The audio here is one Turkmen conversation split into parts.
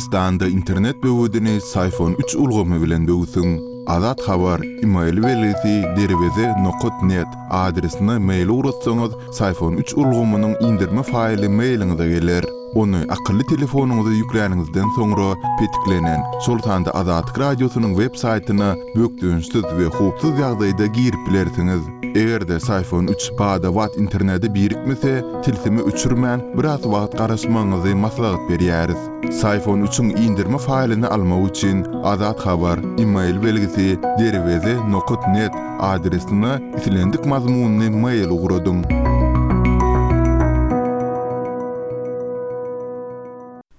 Türkmenistanda internet böwedini Syfon üç ulgamy bilen böwsüň. Azat Habar, email belgisi derweze nokat net adresine mail ugratsaňyz, Syfon üç ulgamynyň indirme faýly mailiňize geler. Ony akylly telefonyňyza ýükläniňizden soňra petiklenen, şol sanda Azatlyk Radiosynyň web saýtyna bökdençsiz we howpsuz ýagdaýda girip bilersiňiz. Eger-de Syfon üç bada-bat internete birikmese, tilsimi öçürmän, biraz wagt garaşmagyňyzy maslahat berýäris. Syfon üçiň indirme faýlyny almak üçin Azat Habar, email belgisi, derweze nokat net adresine islendik mazmunly mail ugradyň.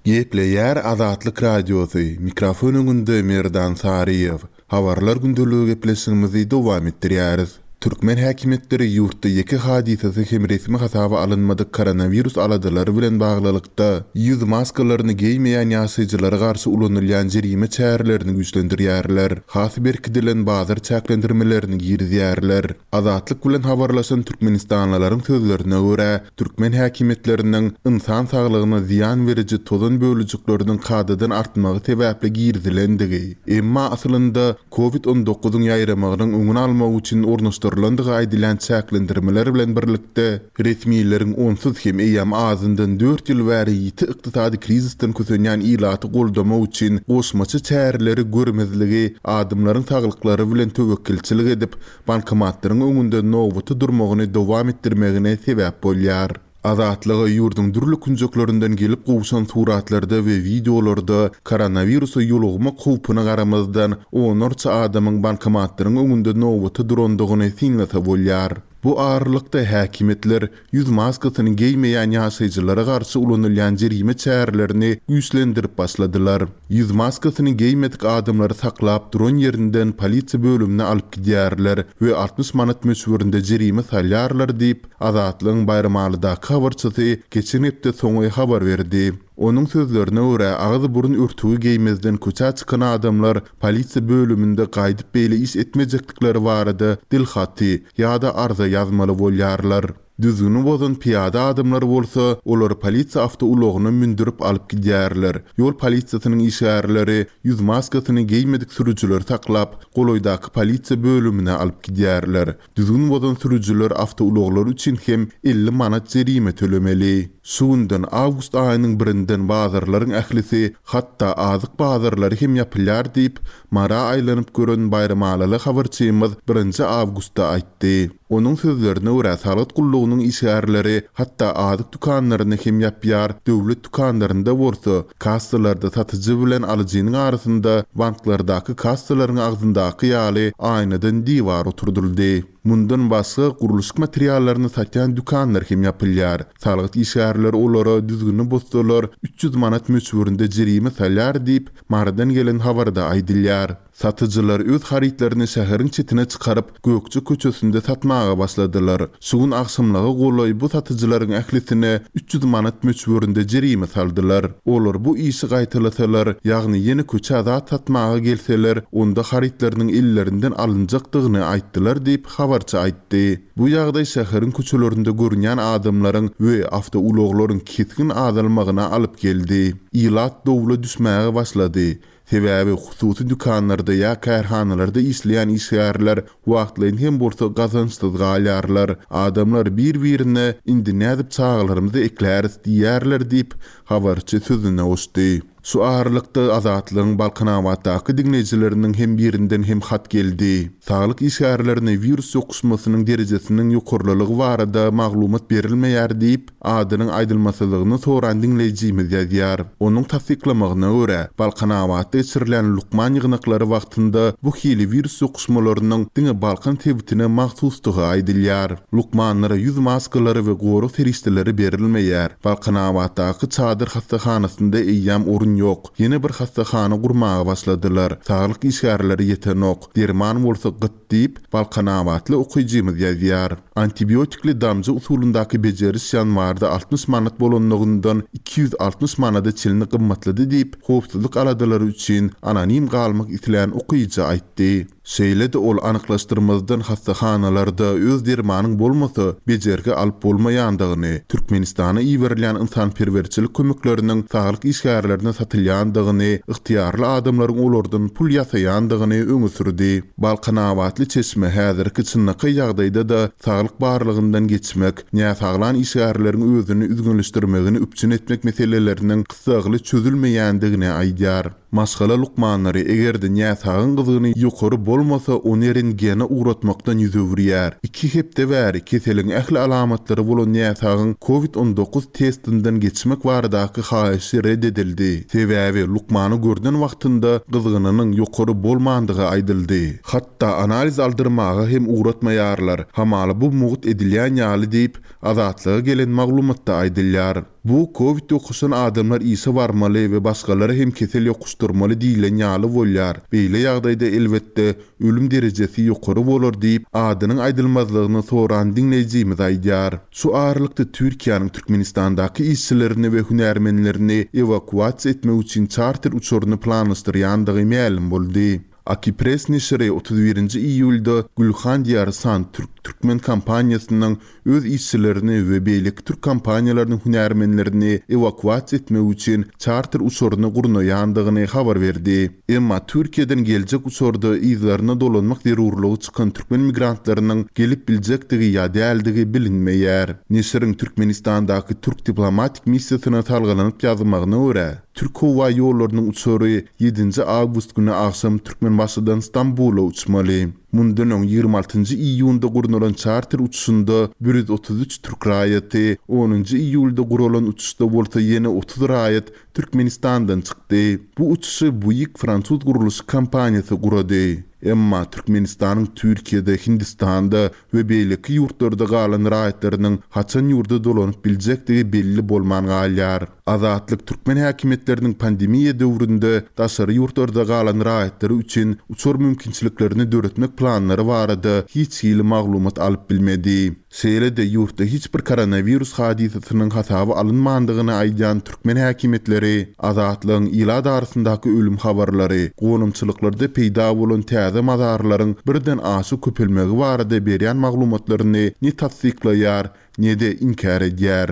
Gepleýär Azatlyk Radiosy, mikrofon öňünde Merdan Saryýew. Habarlar gündeligi gepleşigimizi dowam etdirýäris. Türkmen häkimiýetleri ýurtda ýeke hadysasy hem resmi hasaba alynmadyk koronawirus aladalary bilen baglylykda, ýüz maskalaryny geýmeýän ýaşaýjylara garşy ulanylýan jerime çärelerini güýçlendirýärler, has berkidilen bazar çäklendirmelerini girizýärler. Azatlyk bilen habarlaşan türkmenistanlylaryň sözlerine görä, türkmen häkimiýetleriniň ynsan saglygyna zyýan beriji tozan bölejikleriniň kadadan artmagy sebäpli girizilendigi, emma aslynda Covid on dokuzyň ýaýramagynyň öňüni almak üçin ornaşdyrylandygy aýdylýan çäklendirmeler bilen birlikde, resmileriň onsuz hem eýýäm azyndan dört ýyl bäri ýiti ykdysady krizisden kösenýän ilaty goldamak üçin goşmaça çäreleri görmezligi adamlaryň saglyklary bilen töwekgelçilik edip, bankomatlaryň öňünde nobata durmagyny dowam etdirmegine sebäp bolýar. Azatlyga ýurduň dürli künjeklerinden gelip gowşan suratlarda we wideolarda koronawirusa ýolugmak howpuna garamazdan, onlarça adamyň bankomatlaryň öňünde nobata durandygyny synlasa bolýar. Bu aralykda, häkimiýetler ýüz maskasyny geýmeýän ýaşaýjylara garşy ulanylýan jerime çärelerini güýçlendirip başladylar. Ýüz maskasyny geýmedik adamlary saklap duran ýerinden polisiýa bölümine alyp gidýärler we 60 manat möçberinde jerime salýarlar diýip, Azatlygyň Baýramalydaky habarçysy geçen hepde soňy habar berdi. Onuň sözlerine görä, agyz-burun örtügi geýmezden köçä çykan adamlar polisiýa bölüminde gaýdyp beýle iş etmejekdikleri barada dilhaty ýa-da arza ýazmaly bolýarlar. Düzgüni bozan pyýada adamlar bolsa, olary polisiýa awtoulagyna mündürip alyp gidýärler. Ýol polisiýasynyň işgärleri ýüz maskasyny geýmedik sürüjileri saklap, golaýdaky polisiýa bölümine alyp gidýärler. Düzgün bozan sürüjiler awtoulaglary üçin hem 50 manat jerime tölemeli. Şu günden, awgust aýynyň birinden bazarlaryň ählisi, hatda azyk bazarlary hem ýapylýar diýip, Mara aýlanyp gören baýramalyly habarçymyz birinji awgustda aýtdy. Onuň sözlerine görä, salgyt gullugynyň işgärleri hatda azyk dükanlaryny hem ýapýar, döwlet dükanlarynda bolsa, kassalarda satyjy bilen alyjynyň arasynda banklardaky kassalaryň agzyndaky ýaly aýnadan diwar oturdyldy. Mundan başga, gurluşyk materiallaryny satýan dükanlar hem ýapylýar. Salgyt işgärleri olara düzgüni bozsalar, 300 manat möçberinde jerime salýar diýip, Marydan gelen habarda aýdylýar. Satyjylar öz harytlaryny şäheriň çetine çykaryp, Gökje köçesinde satmaga başladylar. Şu gün agşamlyga golaý bu satyjylaryň ählisine 300 manat möçberinde jerime saldylar. Olar bu işi gaýtalasalar, ýagny ýene köçä zat satmaga gelseler, onda harytlarynyň ellerinden alynjakdygyny aýtdylar diýip, habarçy aýtdy. Bu ýagdaý şäheriň köçelerinde görünýän adamlaryň we awtoulaglaryň kesgin azalmagyna alyp geldi. Ilat dowla düşmäge başlady. Sebäbi hususy dükanlarda ýa kärhanalarda işleýän işgärler wagtlaýyn hem bolsa gazançsyz galýarlar. Adamlar bir-birine indi nädip çagalarymyzy ekläris diýýärler diýip, habarçy sözüne goşdy. Şu aralykda Azatlygyň Balkanabatdaky diňleýjileriniň hem birinden hem hat geldi. Saglyk işgärlerine wirus ýokuşmasynyň derejesiniň ýokarlylygy barada maglumat berilmeýär diýip, adynyň aýdylmasyzlygyny soran diňleýjimiz ýazýar. Onuň tassyklamagyna görä, Balkanabatda geçirilýän lukman ýygnaklary wagtynda bu hili wirus ýokuşmalarynyň diňe Balkan sebitine mahsusdygy aýdylýar. Lukmanlara ýüz maskalary we gorag serişdeleri berilmeýär. Balkanabatdaky çadyr hassahanasynda eýýäm orun ýok. Ýene bir hassahana gurmaga başladylar. Saglyk işgärleri ýetenok. Derman bolsa gyt diýip, balkanabatly okyjymyz ýazýar. Antibiotikli damja usulyndaky bejeriş ýanwarda 60 manat bolanlygyndan 260 manada çenli gymmatlady diýip, howpsuzlyk aladalary üçin anonim galmak islän okyjy aýtdy. Şeýle-de ol anyklaşdyrmazdan hassahanalarda öz dermanyň bolmasa, bejergi alyp bolmaýandygyny, Türkmenistana iberilýän ynsanperwerçilik kömekleriniň saglyk işgärlerine. satylýandygyny, ygtyýarly adamlaryň olardan pul ýasaýandygyny öňe sürdi. Balkanabatly çeşme häzirki çynlakaý ýagdaýda-da saglyk barlagyndan geçmek, näsaglan işgärleriň özüni üzňeleşdirmegini üpjün etmek meseleleriniň gyssagly çözülmeýändigini aýdýar. Maşgala lukmanlary eger-de näsagyň gyzgyny ýokary bolmasa, ony rentgene ugratmakdan ýüz öwürýär. Iki hepde bäri keseliň ähli alamatlary bolan näsagyň Covid 19 testinden geçmek baradaky haýyşy ret edildi. Sebäbi lukmany görnen wagtynda gyzgynynyň ýokary bolmandygy aýdyldy. Hatda analiz aldyrmaga hem ugratmaýarlar. Hamala bu mugt edilýän ýaly diýip, Azatlyga gelen maglumatda aýdylýar. Bu kowid ýokuşan adamlar işe barmaly we başgalara hem kesel ýokuşdyrmaly diýlen ýaly bolýar. Beýle ýagdaýda elbetde, ölüm derejesi ýokary bolar diýip, adynyň aýdylmazlygyny soran diňleýjimiz aýdýar. Şu aralykda Türkiýäniň Türkmenistandaky işçilerini we hünärmenlerini ewakuasiýa etmek üçin çarter uçaryny planlaşdyrýandygy mälim boldy. Akipress neşiri 31-nji iýulda Gülhan Diýarsan türk türkmen kompaniýasynyň öz işçilerini we beýleki türk kompaniýalarynyň hünärmenlerini ewakuasiýa etmek üçin çarter uçaryny gurnaýandygyny habar berdi. Emma Türkiýeden geljek uçarda yzlaryna dolanmak zerurlygy çykan türkmen migrantlarynyň gelip biljekdigi ýa däldigi bilinmeýär. Neşiriň Türkmenistandaky türk diplomatik missiýasyna salgylanyp ýazmagyna görä, Türk howa ýollarynyň uçary ýedinji awgust güni agşam Türkmenbaşydan Stambula uçmaly. Mundan öň 26-njy iýunda gurnalan çarter uçuşynda 133 türk raýaty, onunjy iýulda guralan uçuşda bolsa ýene 30 raýat Türkmenistandan çykdy. Bu uçuşy Buig fransuz gurluşyk kompaniýasy gurady. Emma Türkmenistanyň Türkiýede, Hindistanda we beýleki ýurtlarda galan raýatlarynyň haçan ýurda dolanyp biljekdigi belli bolman galýar. Azatlyk türkmen häkimiýetleriniň pandemiýa döwründe daşary ýurtlarda galan raýatlary üçin uçar mümkinçiliklerini döretmek planlary barada hiç hili maglumat alyp bilmedi. Şeýle-de ýurtda hiç bir koronawirus hadysasynyň hasaba alynmandygyny aýdýan türkmen häkimiýetleri Azatlygyň ilat arasyndaky ölüm habarlary, gonamçylyklarda peýda bolan täze mazarlaryň birden aşa köpelmegi barada berýän maglumatlaryny ne tassyklaýar, ne-de inkär edýär.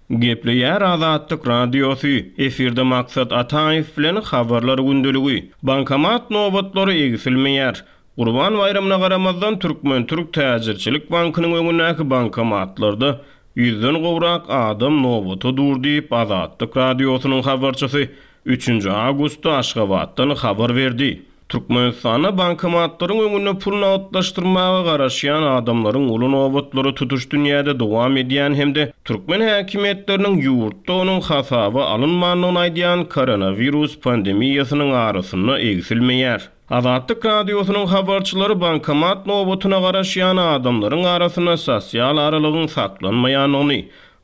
Gepleýär Azatlyk Radiosy, efirde Maksat Ataýew bilen Habarlar gündeligi. Bankomat nobatlary egsilmeýär. Gurban baýramyna garamazdan Türkmen-türk täjirçilik bankynyň öňündäki bankomatlarda ýüzden gowrak adam nobata dur diýip, Azatlyk Radiosynyň habarçysy üçünji awgustda Aşgabatdan habar berdi. Türkmenistanda bankomatlaryň öňünde pul nagtlaşdyrmaga garaşýan adamlaryň uly nobatlary tutuş dünýäde dowam edýän hem-de türkmen häkimiýetleriniň ýurtda onuň hasaba alynmandygyny aýdýan koronawirus pandemiýasynyň arasynda egsilmeýär. Azatlyk Radiosynyň habarçylary bankomat nobatyna garaşýan adamlaryň arasynda sosial aralygyň saklanmaýandygyny,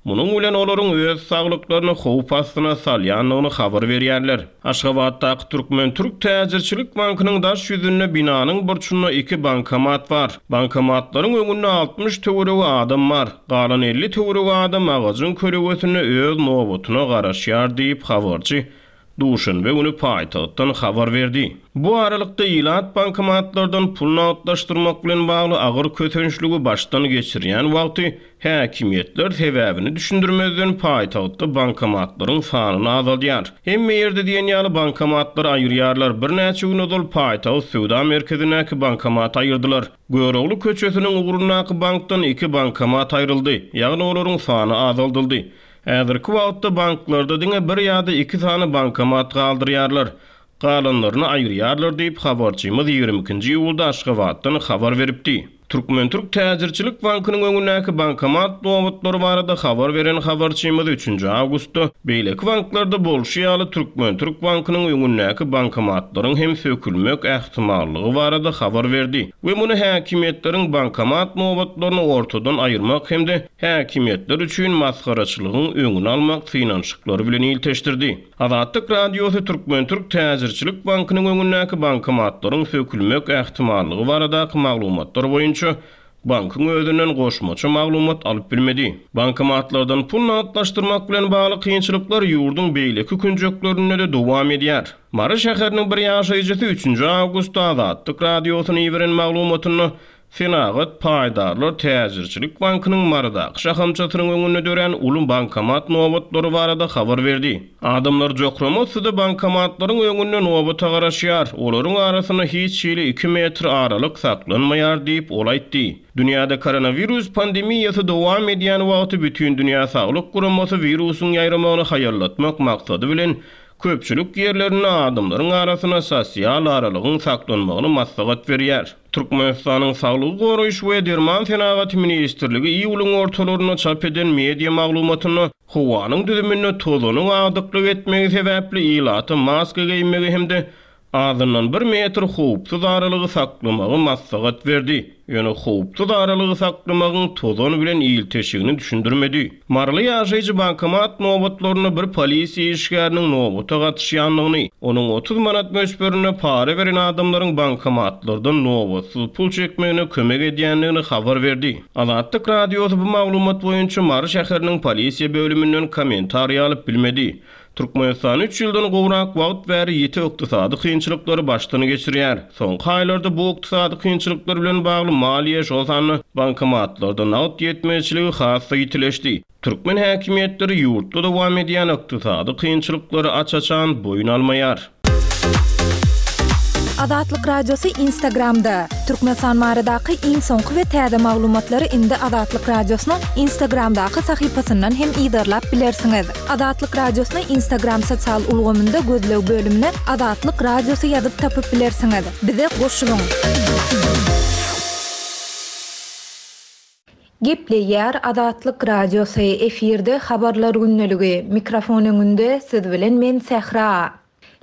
munuň bilen olaryň öz saglyklaryny howp astyna salýandygyny habar berýärler. Aşgabatdaky Türkmen-türk täjirçilik bankynyň daş ýüzünde binanyň burçunda iki bankomat bar. Bankomatlaryň öňünde 60 töweregi adam bar. Galan 50 töweregi adam agajyň kölegesinde öz nobatyna garaşýar diýip, habarçy duşenbe güni paýtagtdan habar berdi. Bu aralykda, ilat bankomatlardan pul nagtlaşdyrmak bilen bagly agyr kösençligi başdan geçirýän wagty, häkimiýetler sebäbini düşündirmezden paýtagtda bankomatlaryň sanyny azaldýar. Hemme ýerde diýen ýaly bankomatlary aýyrýarlar. Birnäçe gün ozal paýtagt söwda merkezindäki bankomaty aýyrdylar. Görogly köçesiniň ugrundaky bankdan iki bankomat aýryldy, ýagny olaryň sany azaldyldy. Häzirki wagtda banklarda diňe bir ýa-da iki sany bankomat galdyrýarlar. Galanlaryny aýyrýarlar diýip, habarçymyz 22-nji iýulda Aşgabatdan habar beripdi. Türkmen-türk täjirçilik bankynyň öňündäki bankomat nobatlary barada habar beren habarçymyz üçünji awgustda beýleki banklarda bolşy ýaly Türkmen-türk bankynyň öňündäki bankomatlaryň hem sökülmek ähtimallygy barada habar berdi we muny häkimiýetleriň bankomat nobatlaryny ortadan aýyrmak hem-de häkimiýetler üçin masgaraçylygyň öňüni almak synanyşyklary bilen ilteşdirdi. Azatlyk Radiosy Türkmen-türk täjirçilik bankynyň öňündäki bankomatlaryň sökülmek ähtimallygy baradaky maglumatlar boýunça bankyň özünden goşmaça maglumat alyp bilmedi. Bankomatlardan pul nagtlaşdyrmak bilen bagly kynçylyklar ýurduň beýleki künjeklerinde-de dowam edýär. Mary şäheriniň bir ýaşaýjysy üçünji awgustda Azatlyk Radiosyna iberen maglumatynda. Senagat paýdarlar täjirçilik bankynyň Marydaky şahamçasynyň öňünde dörän uly bankomat nobatlary barada habar berdi. Adamlar jokrama yssyda bankomatlaryň öňünde nobata garaşýar, olaryň arasynda hiç hili iki metr aralyk saklanmaýar diýip, ol aýtdy. Dünýäde koronawirus pandemiýasy dowam edýän wagty Bütindünýä Saglyk Guramasy wirusyň ýaýramagyny haýallatmak maksady bilen, köpçülik ýerlerinde adamlaryň arasynda sosial aralygyň saklanmagyny maslahat berýär. Türkmenistanyň Saglygy goraýyş we derman senagaty ministrligi iýulyň ortalarynda çap eden media maglumatynda howanyň düzüminde tozanyň agdyklyk etmegi sebäpli ilata maska geýmegi hem-de azyndan bir metr howpsuz aralygy saklamagy maslahat berdi, ýöne howpsuz aralygy saklamagyň tozan bilen ilteşigini düşündirmedi. Maryly ýaşaýjy bankomat nobatlarynda bir polisiýa işgäriniň nobata gatyşýandygyny, onuň 30 manat möçberinde para beren adamlaryň bankomatlardan nobatsyz pul çekmegine kömek edýändigini habar berdi. Azatlyk Radiosy bu maglumat boýunça Mary şäheriniň polisiýa bölüminden kommentariý alyp bilmedi. Türkmenistan üç ýyldan gowrak wagt bäri ýiti ykdysady kynçylyklary başdan geçirýär. Soňky aýlarda bu ykdysady kynçylyklar bilen bagly maliýe, şol sanda bankomatlarda nagt ýetmezçiligi has-da ýitileşdi. Türkmen häkimiýetleri ýurtda dowam edýän ykdysady kynçylyklary aç-açan boýun almaýar. Azatlyk Radiosy Instagramda, Türkmenistan baradaky iň soňky we täze maglumatlary indi Azatlyk Radiosynyň Instagramdaky sahypasyndan hem yzarlap bilersiňiz. Azatlyk Radiosyny Instagram sosial ulgamynda gözleg bölümine Azatlyk Radiosy ýazyp tapyp bilersiňiz. Bize goşulyň! Gepleýär Azatlyk Radiosy, efirde Habarlar gündeligi, mikrofon öňünde siz bilen men Sähra.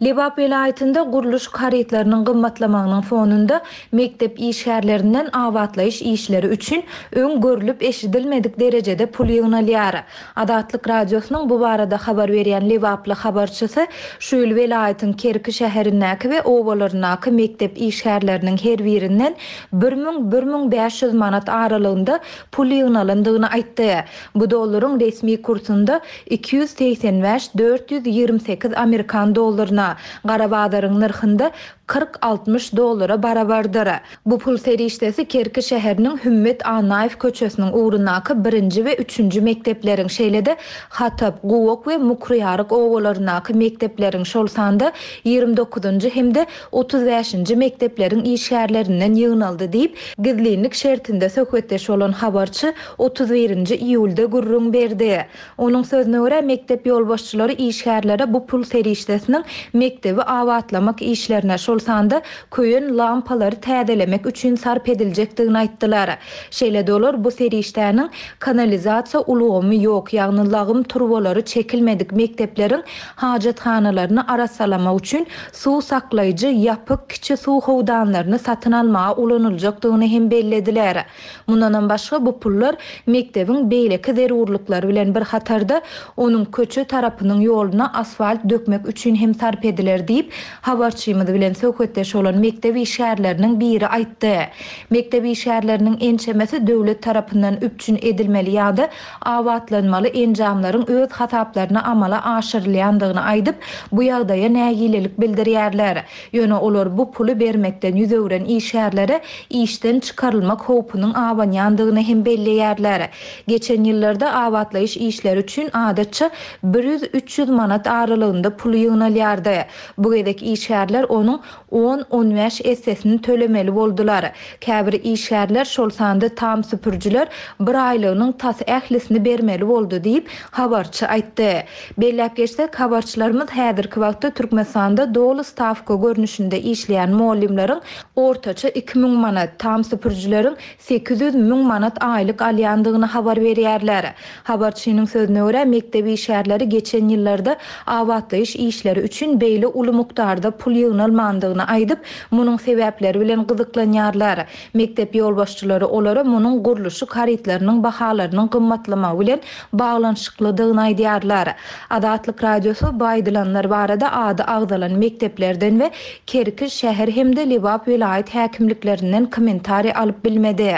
Lebap welaýatynda gurluşyk harytlarynyň gymmatlamagynyň fonunda mekdep işgärlerinden abatlaýyş işleri üçin öň görlüp-eşidilmedik derejede pul ýygnalýar. Azatlyk Radiosynyň bu barada habar berýän lebaply habarçysy şu ýyl welaýatyň Kerki şäherindäki we obalaryndaky mekdep işgärleriniň her birinden bir müň, bir 1500 manat aralygynda pul ýygnalandygyny aýtdy. Bu dollaryň resmi kursunda 285, 428 amerikan dollaryna, gara bazaryň nyrhynda 40, 60 dollara barabardyr. Bu pul serişdesi Kerki şäheriniň Hümmet Annaýew köçesiniň ugrundaky birinji we üçünji mekdepleriň, şeýle-de Hatap, Guwak we Mukryýaryk obalaryndaky mekdepleriň, şol sanda 29-njy hem-de 35-nji mekdepleriň işgärlerinden ýygnaldy diýip, gizlinlik şertinde söhbetdeş bolan habarçy 31-nji iýulda gürrüň berdi. Onuň sözüne görä, mekdep ýolbaşçylary işgärlere bu pul serişdesiniň mekdebi abatlamak işlerine, şol sanda köýen lampalary täzelemek üçin sarp ediljekdigini aýtdylar. Şeýle-de olar bu serişdäniň kanalizasiýa ulgamy ýok, ýagny lagym turbalary çekilmedik mekdepleriň hajathanalaryny arassalamak üçin suw saklaýjy ýapyk kiçi suw howdanlaryny satyn almaga ulanyljakdygyny hem bellediler. Mundanam başga bu pullar mekdebiň beýleki zerurlyklary bilen bir hatarda, onuň köçe tarapynyň ýoluna asfalt dökmek üçin hem sarp ediler diýip, habarçymyz bilen söhbetdeş bolan mekdep işgärleriniň biri aýtdy. Mekdep işgärleriniň ençemesi döwlet tarapyndan üpjün edilmeli ýa-da abatlanmaly enjamlaryň öz hasaplaryna amala aşyrylýandygyny aýdyp, bu ýagdaýa nägilelik bildirýärler. Ýöne olar bu puly bermekden ýüz öwren işgärlere işden çykarylmak howpunyň abanýandygyny hem belleýärler. Geçen ýyllarda abatlaýyş işleri üçin adatça bir ýüz-üç ýüz manat aralygynda pul ýygnalýardy. Bu gezek işgärler onuň on-on bäş essesini tölemeli boldular. Käbir işgärler, şol sanda tam süpürijiler bir aýlygynyň tas ählisini bermeli boldy diýip, habarçy aýtdy. Belläp geçsek, habarçylarymyz häzirki wagtda Türkmenistanda doly stawka görnüşinde işleýän mugallymlaryň ortaça 2000 manat, tam süpürijileriň 800 müň manat aýlyk alýandygyny habar berýärler. Habarçynyň sözüne görä, mekdep işgärleri geçen ýyllarda abatlaýyş işleri üçin beýle uly mukdarda pul ýygnalmandygyny aýdyp, munuň sebäpleri bilen gyzyklanýarlar. Mekdep ýolbaşçylary olara munuň gurluşyk harytlarynyň bahalarynyň gymmatlamagy bilen baglanyşyklydygyny aýdýarlar. Azatlyk Radiosy bu aýdylanlar barada ady agzalan mekdeplerden we Kerki şäher hem-de Lebap welaýat häkimliklerinden kommentariý alyp bilmedi.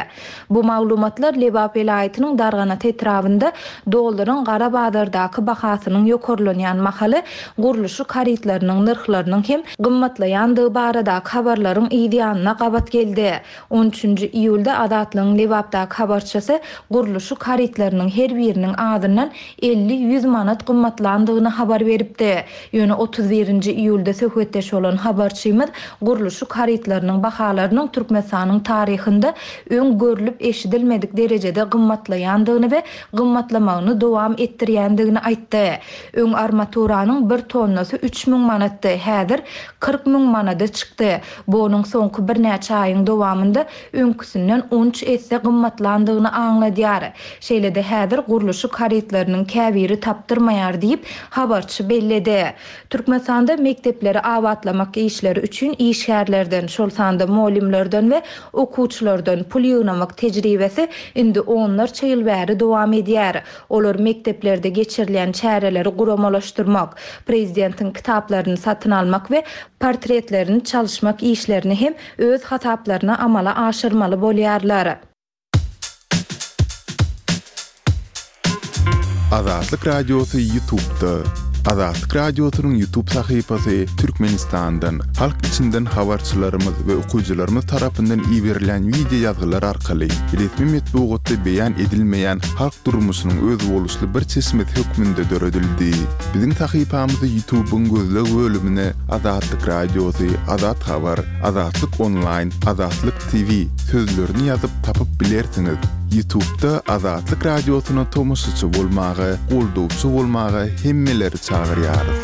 Bu maglumatlar Lebap welaýatynyň Darganata etrabynda dollaryň gara bazardaky bahasynyň ýokarlanýan mahaly gurluşyk harytlarynyň. harytlarynyň nyrhlarynyň hem gymmatlaýandygy baradaky habarlaryň yz ýanyna gabat geldi. On üçünji iýulda Azatlygyň Lebapdaky habarçysy gurluşyk harytlarynyň her biriniň azyndan 50-ýüz manat gymmatlandygyny habar beripdi. Ýöne 31 nji iýulda söhbetdeş bolan habarçymyz gurluşyk harytlarynyň bahalarynyň Türkmenistanyň taryhynda öň görlüp-eşidilmedik derejede gymmatlaýandygyny we gymmatlamagyny dowam etdirýändigini aýtdy. Öň armaturanyň bir tonnasy 3000 manatdy, häzir 40 000 manada çykdy. Bu onuň soňky birnäçe aýyň dowamynda öňküsinden on üç esse gymmatlandygyny aňladýar. Şeýle-de häzir gurluşyk harytlarynyň käbiri tapdyrmaýar diýip, habarçy belledi. Türkmenistanda mekdepleri abatlamak işleri üçin işgärlerden, şol sanda mugallymlardan we okuwçylardan pul ýygnamak tejribesi indi onlarça ýyl bäri dowam edýär. Olar mekdeplerde geçirilýän çäreleri guramalaşdyrmak, prezidentiň kitaplaryny satyn almak we portretlerini çalyşmak işlerini hem öz hasaplaryna amala aşyrmaly bolýarlar. Azatlyk Radiosy Ýutubda. Azatlyk Radiosynyň Ýutub sahypasy Türkmenistandan, halk içinden habarçylarymyz we okyjylarymyz tarapyndan iberilýän wideo ýazgylar arkaly resmi metbugatda beýan edilmeýän halk durmuşynyň özboluşly bir çeşmesi hökmünde döredildi. Biziň sahypamyzy Ýutubyň gözleg bölümine Azatlyk Radiosy, Azat Habar, Azatlyk Onlaýn, Azatlyk TV sözlerini ýazyp tapyp bilersiňiz. Ýutubda Azatlyk Radiosyna tomaşaçy bolmaga, goldawçy bolmaga hemmeleri çagyrýarys.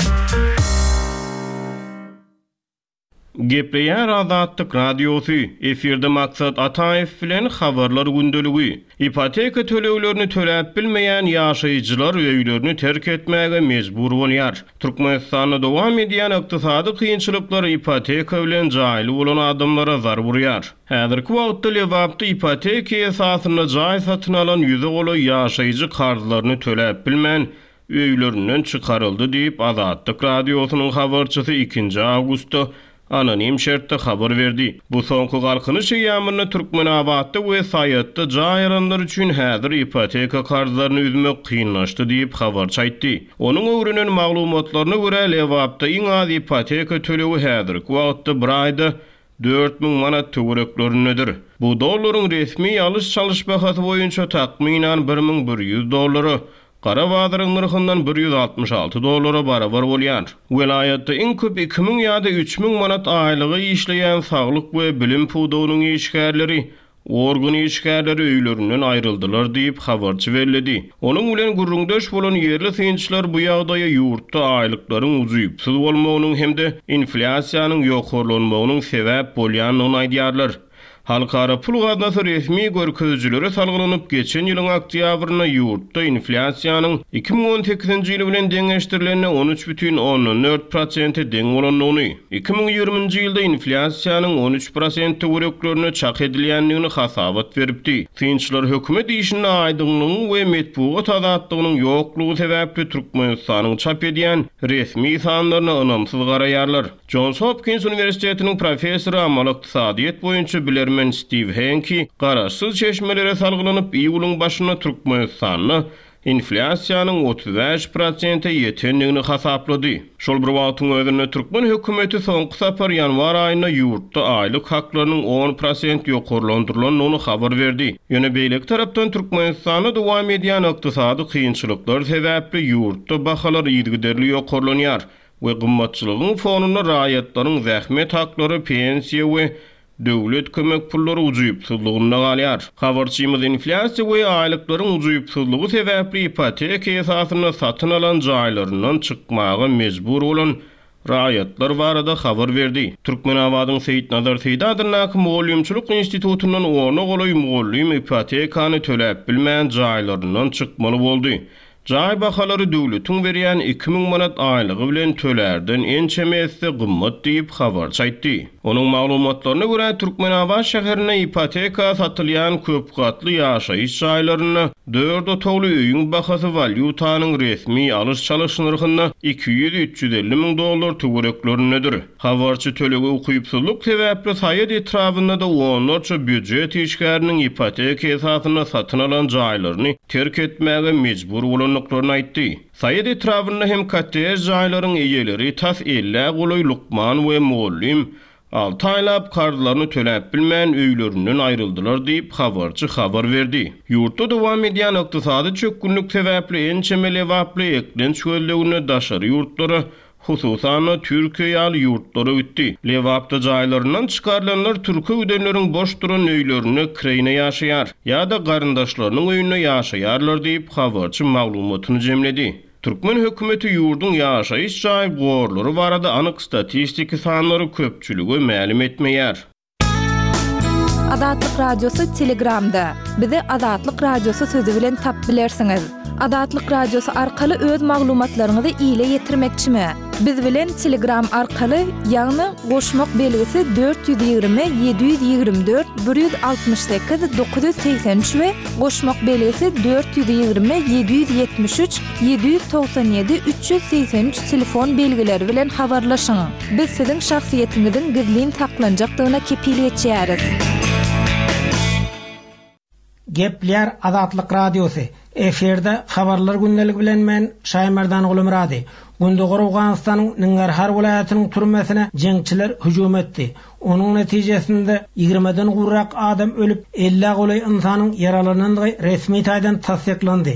Gepleýär Azatlyk Radiosy, efirde Maksat Ataýew bilen Habarlar gündeligi. Ipoteka töleglerini töläp bilmeýän ýaşaýjylar öýlerini terk etmäge mejbur bolýar. Türkmenistanda dowam edýän ykdysady kynçylyklar ipoteka bilen jaýly bolan adamlara zarb urýar. Häzirki wagtda Lebapda ipoteka esasynda jaý satyn alan ýüze golaý ýaşaýjy karzlaryny töläp bilmän, öýlerinden çykaryldy diýip, Azatlyk Radiosynyň habarçysy ikinji awgustda anonim şertde habar berdi. Bu soňky Galkynyş eýýamynda Türkmenabatda we Saýatda jaý alanlar üçin häzir ipoteka karzlaryny üzmek kynlaşdy diýip, habarçy aýtdy. Onuň öwrenen maglumatlaryna görä, Lebapda iň az ipoteka tölegi häzirki wagtda bir aýda 4000 manat töwereklerindedir. Bu dollaryň resmi alyş-çalyş bahasy boýunça takmynan 1100 dollara, gara bazaryň nyrhyndan 166 dollara barabar bolýar. Welaýatda iň köp 2000 ýa-da 3000 manat aýlyga işleýän saglyk we bilim pudagynyň işgärleri, organ işgärleri öýlerinden aýryldylar diýip, habarçy belledi. Onuň bilen gürrüňdeş bolan ýerli synçylar bu ýagdaýa ýurtda aýlyklaryň ujypsyz bolmagynyň hem-de inflýasiýanyň ýokarlanmagynyň sebäp bolýandygyny aýdýarlar. Halkara pul gaznasy resmi görkezijilere salgylanyp, geçen ýylyň oktýabrynda ýurtda inflýasiýanyň 2018-nji ýyl bilen deňeşdirilende 13,4 prosente deň bolandygyny, 2020-nji ýylda inflýasiýanyň 13 prosent töwereklerinde çak edilýändigini hasabat beripdi. Synçylar hökümet işinde aýdyňlygyň we metbugat azatlygynyň ýoklugy sebäpli Türkmenistanyň çap edýän resmi sanlaryna ynamsyz garaýarlar. Jons Hopkins uniwersitetiniň professory, amaly ykdysadyýet boýunça bilermen Stiw Henki garaşsyz çeşmelere salgylanyp, iýulyň başynda Türkmenistanda inflýasiýanyň 35 prosente ýetendigini hasaplady. Şol bir wagtyň özünde, türkmen hökümeti soňky sapar ýanwar aýynda ýurtda aýlyk haklarynyň on prosent ýokarlandyrylandygyny habar berdi. Ýöne beýleki tarapdan Türkmenistanda dowam edýän ykdysady kynçylyklar sebäpli ýurtda bahalar yzygiderli ýokarlanýar. we gymmatçylygyň fonunda raýatlaryň zähmet haklary, pensiýa we döwlet kömek pullary ujypsyzlygynda galýar. Habarçymyz inflýasiýa we aýlyklaryň ujypsyzlygy sebäpli ipoteka esasynda satyn alan jaýlaryndan çykmaga mejbur bolan raýatlar barada habar berdi. Türkmenabadyň Seýitnazar Seýdi adyndaky mugallymçylyk institutyndan ona golaý mugallym ipotekany töläp bilmän jaýlaryndan çykmaly boldy. Jaý bahalary döwletiň berýän 2000 manat aýlygy bilen tölärden ençeme esse gymmat diýip, habarçy aýtdy. Onuň maglumatlaryna görä, Türkmenabat şäherinde ipoteka satylýan köp gatly ýaşaýyş jaýlarynda dört otagly öýüň bahasy walýutanyň resmi alyş-çalyş nyrhynda 200-350 müň dollar töwereklerindedir. Habarçy tölege ukypsyzlyk sebäpli Saýat etrabynda-da onlarça býujet işgäriniň ipoteka esasynda satyn alan jaýlaryny terk etmäge mejbur bolandyklaryny aýtdy. Saýat etrabynda hem kottej jaýlaryň eýeleri tas ellä golaý lukman we mugallym alty aýlap karzlaryny töläp bilmän öýlerinden aýryldylar diýip, habarçy habar berdi. Ýurtda dowam edýän ykdysady çökgünlik sebäpli ençeme lebaply eklenç gözleginde daşary ýurtlara, hususan-da, Türkiýe ýaly ýurtlara gitdi. Lebapda jaýlaryndan çykarylanlar türke gidenleriň boş duran öýlerinde kireýine ýaşaýar ýa-da garyndaşlarynyň öýünde ýaşaýarlar diýip, habarçy maglumatyny jemledi. Türkmen hökümeti ýurduň ýaşaýyş jaý gorlary barada anyk statistiki sanlary köpçülige mälim etmeýär. Azatlyk Radiosy Telegramda. Bizi Azatlyk Radiosy sözi bilen tap bilersiňiz. Azatlyk Radiosy arkaly öz maglumatlaryňyzy ile ýetirmekçimi? Biz bilen Telegram arkaly, ýagny goşmak belgisi 420 724 168 983 we goşmak belgisi 420 773 797 383 telefon belgileri bilen habarlaşyň. Biz siziň şahsyýetiňiziň gizlin saklanjakdygyna kepil geçýäris. Gepleýär Azatlyk Radiosy, Efirde Habarlar gündeligi bilen men, Şaýmerdan Gulumyrady. Gündogar Owganystanyň Ningarhar welaýatynyň türmesine jeňçiler hüjüm etdi. Onuň netijesinde ýigrimeden gowrak adam ölüp, ellä golaý ynsanyň ýaralanandygy resmi taýdan tassyklandy.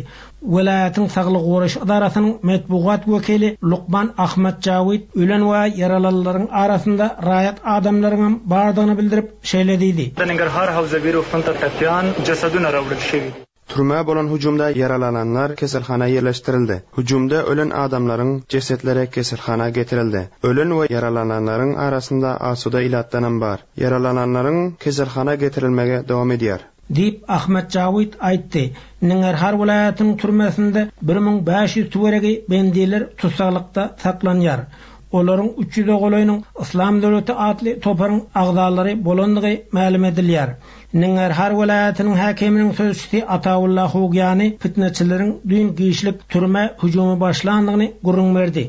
Welaýatyň saglygy goraýyş edarasynyň metbugat wekili lukman Ahmad Jawid ölen we ýaralanlaryň arasynda raýat adamlaryňam bardygyny bildirip, şeýle diýdi. د ننګرهار حوزوي روغتون ته ټپیان جسدونه راوړل شوي دي. Türmä bolan hüjümde ýaralananlar keselhana ýerleşdirildi. Hüjümde ölen adamlaryň jesetleri keselhana getirildi. Ölen we ýaralananlaryň arasynda asuda ilatdanam bar. Ýaralananlaryň keselhana getirilmegi dowam edýär. Diýip, Ahmad Jawid aýtdy. Ningarhar welaýatynyň türmesinde 1500 töweregi bendiler tussaglykda saklanýar. Olaryň üç ýüze golaýynyň Yslam döwleti atly toparyň agzalary bolandygy mälim edilýär. Ningarhar welaýatynyň häkiminiň sözçüsi Ataulla Hugýani pitneçileriň düýn giçlik türmä hüjümi başlandygyny gürrüň berdi.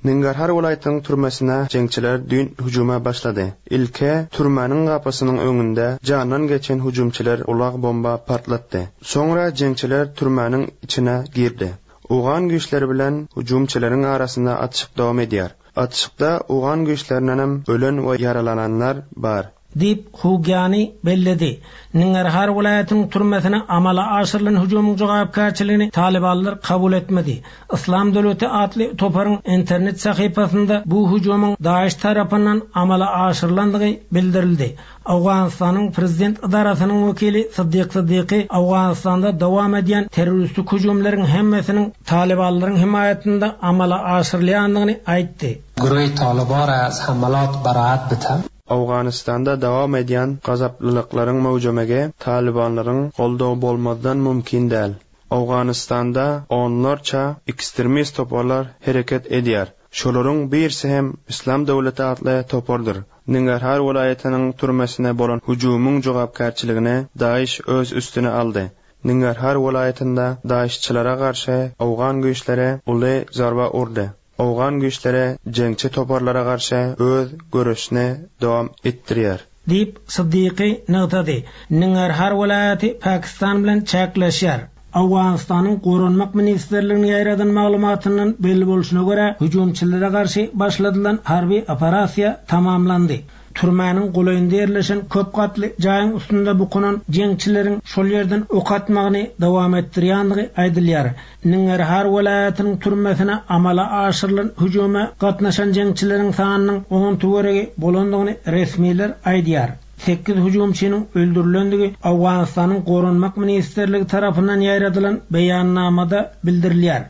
Ningarhar welaýatynyň türmesine jeňçiler düýn hüjüme başlady. Ilki türmäniň gapysynyň öňünde jandan geçen hüjümçiler ulag bomba partlatdy. Soňra jeňçiler türmäniň içine girdi. Owgan güýçleri bilen hüjümçileriň arasynda atyşyk dowam edýär. Atyşykda owgan güýçlerindenem ölen we ýaralananlar bar. Diýip, Hugýani belledi. Ningarhar welaýatynyň türmesine amala aşyrylan hüjümiň jogapkärçiligini talybanlar kabul etmedi. Yslam döwleti atly toparyň internet sahypasynda bu hüjümiň DAIŞ tarapyndan amala aşyrylandygy bildirildi. Owganystanyň prezident edarasynyň wekili Syddyk Syddyky Owganystanda dowam edýän terroristik hüjümleriň hemmesiniň talybanlaryň hemaýatynda amala aşyrylýandygyny aýtdy. Guruhi Taliban ra az hamalat baraat bite. Owganystanda dowam edýän gazaplylyklaryň möwjemegi talybanlaryň goldawy bolmazdan mümkin däl. Owganystanda onlarça ekstremist toparlar hereket edýär. Şolaryň birisi hem Yslam döwleti atly topardyr. Ningarhar welaýatynyň türmesine bolan hüjümiň jogapkärçiligini DAIŞ öz üstüne aldy. Ningarhar welaýatynda DAIŞ-çylara garşy owgan güýçleri uly zarba urdy. Owgan güýçleri jeňçi toparlara garşy öz göreşini dowam etdirýär. Diýip, Siddiqi nygtady. Ningarhar welaýaty Pakistan bilen çäkleşýär. Owganystanyň Goranmak ministrliginiň ýaýradan maglumatyndan belli bolşuna görä, hüjümçilere garşy başladylan harby operasiýa tamamlandy. Türmäniň golaýynda ýerleşen köp gatly jaýyň üstünde bukunan jeňçileriň şol ýerden ok atmagyny dowam etdirýändigi aýdylýar. Ningarhar welaýatynyň türmesine amala aşyrylan hüjüme gatnaşan jeňçileriň sanynyň on töweregi bolandygyny resmiler aýdýar. Sekiz hüjümçiniň öldürilendigi Owganystanyň Goranmak ministrligi tarapyndan ýaýradylan beýannamada bildirilýär.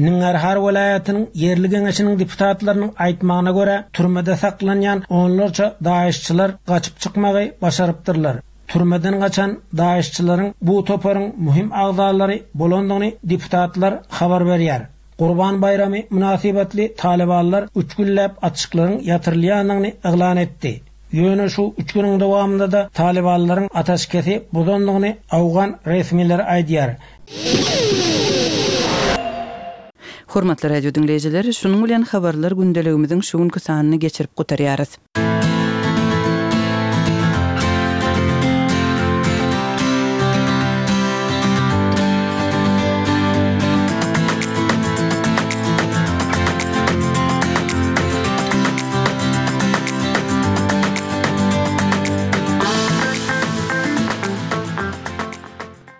Ningarhar welaýatynyň ýerli geňeşiniň deputatlarynyň aýtmagyna görä, türmede saklanýan onlarça daişçiler gaçyp çykmagy başarypdyrlar. Türmeden gaçan daişçileriň bu toparyň möhüm agzalary bolandygyny deputatlar habar berýär. Gurban baýramy mynasybetli talybanlar üç günläp atyşyklaryň ýatyrylýandygyny yglan etdi. Ýöne şu üç günüň dowamynda-da talybanlaryň ataşkesi bozandygyny owgan resmileri aýdýar. Hormatly radio diňleýjiler, şunuň bilen Habarlar gündeligimiziň şu günki sanyny geçirip gutarýarys.